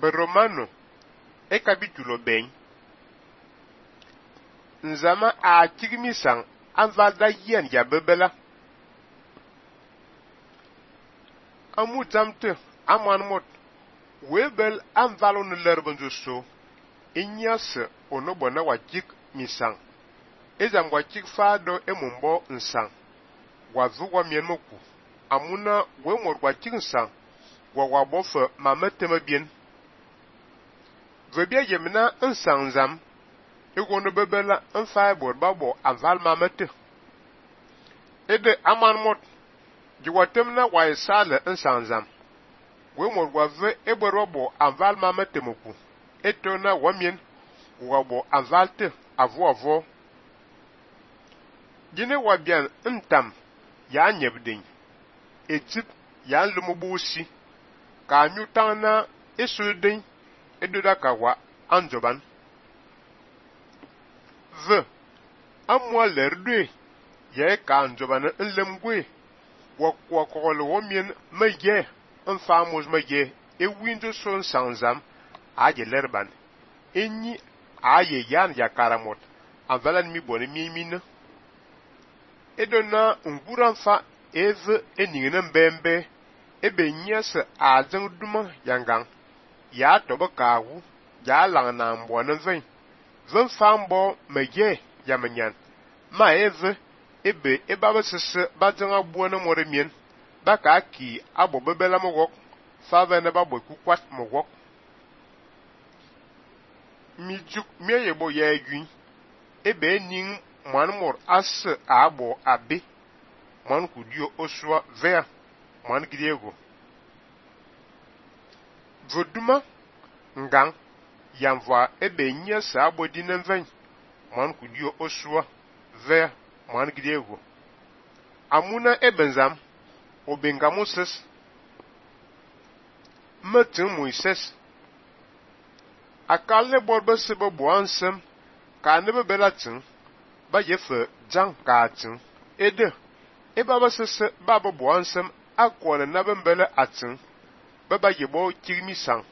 Romano e capítulo bem. Nzama a tigmisang anvalda yen ya bebela. Amu zamte aman mot. Webel anvalo ne lerbenzo so. Inyase onobona wajik misang. Ezam wajik fado emumbo nsang. Wazu wa mienmoku. Amuna wemor wajik nsang. Wawabofe mameteme bien. Vebia yemina nsang zam. Egono bebela nfaibor babo aval mamete. Ede aman mot. Jiwatemna wa isale nsang zam. Wemor wave eberobo aval mamete moku. Etona wamien wabo avalte avo. Jine wabian ntam ya nyebding. Etip ya lumubusi. Ka nyutana esuding edudaka wa anjoban. Amwa lerdwe ye ka anjoban nlemgwe wakwa kokolo womien meye nfamos meye ewinjo son sanzam aje lerban enyi aye yan ya karamot anvalan mi bone mimina edona nguranfa eve eningene mbembe ebe nyese azang duma yangang ya tobe kawu ya lang na mbone vin fambo meye yamanyan ma eve ebe ebaba sese bazanga buona moremien baka ki abo bebela mogok fava na babo kukwat mogok mijuk meyebo ya egui ebe ning manmor as abo abe man kudio oswa ver man griego voduma ngang yamva ebe nyesa abo dinenven man kudio oswa ver man griego amuna ebenzam obengamuses metin Moises akalle borbe sebe boansem ka nebe belatin ba yefe jang katin ede ebaba sese baba boansem akwane nabe mbele atin baba yebo kirmisang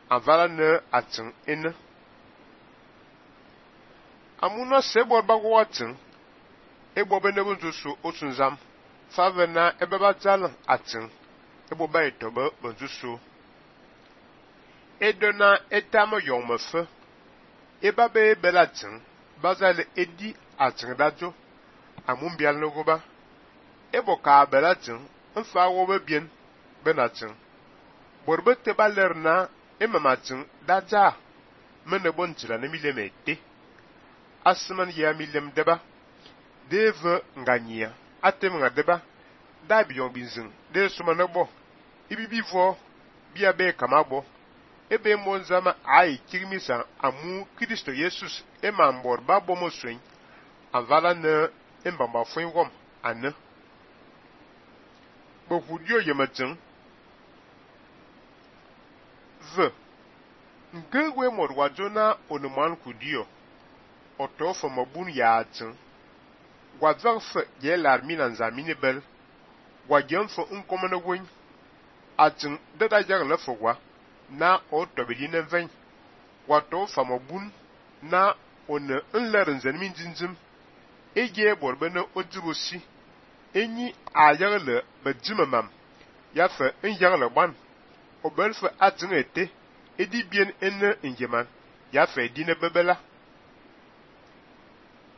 avala ne atin ene amuna sebor bagwatin ebo benebo nzusu otunzam favena ebeba jal atin ebo ba etobe benzusu edona etamo yongmefe ebabe belatin bazale edi atin dajo amumbial nogoba ebo ka belatin mfa wobe bien benatin borbe tebalerna emamatin daja menebo ntila ne milemete asman ya milem deba deve nganyia atem ngadeba da biyon binzin de sumanabo ibibivo bia be kamabo ebe monzama ai kirmisa amu Kristo Jesus emambor babo moswen avala ne embamba fwingom ane bohudio yematin ngwe morwajona onuman kudio otofo mabun yaatin wadzarfe ye larmina nzamini bel wajenfo nkomene winy atin dada jagle fogwa na otobedi neven wato famabun na one nlerin zenmin jinjim eje borbene ojibosi enyi ayagle bejimamam yafe nyagle ban obelfe atin ete edi bien ene njeman yafe dine bebela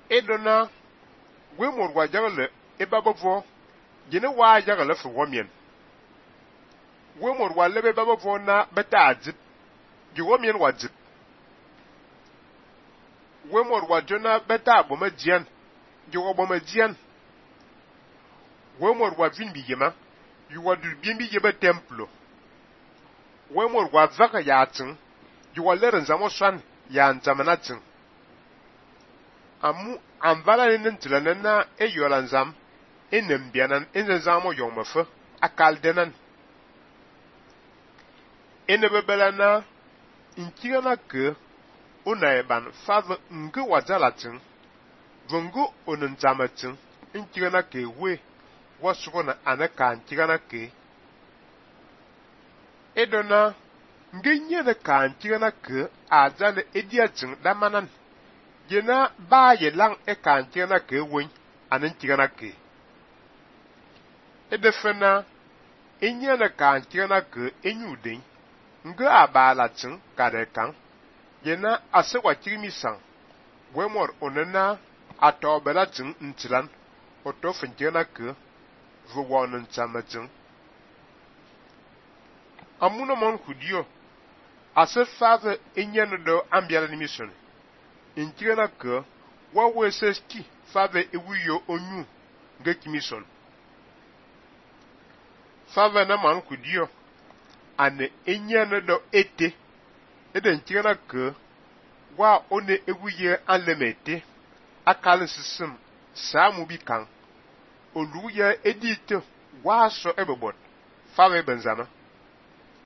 edona gwemor wajagle ebabavo jene wa jagle fo womien gwemor walebe babavo na beta ajib jiwomien wajib gwemor wajona beta abomajian jiwobomajian gwemor wavin biyema yuwadu bimbi yebe templo gwemor wavaka yatin jiwaleren zamoswan ya nzamanatin amu anvala nentila na eyolanzam enembianan enzamo yongmefe akaldenan enebebela na inkigana ke unaeban fave nge wajalatin vungu onenzamatin inkigana ke we wasubona anaka inkigana ke edona ngenye de kan tigana ke azale edia tin damanan jena ba ye lang e kan tigana ke won anen tigana ke edefena enye de kan tigana ke enyuden nga abala tin kare kan jena asewa tigimi sang wemor onena atobela tin ntilan oto fintigana ke vuwonen tsamatin amuna mon kudio ase fave enyene do ambiala ni mission intigana ke wa weseski fave ewuyo onyu ngeki mission fave na man kudio ane enyene do ete eden tigana ke wa one ewuye anlemete akal sisim samu bikan oluye edite wa so ebebot fave benzama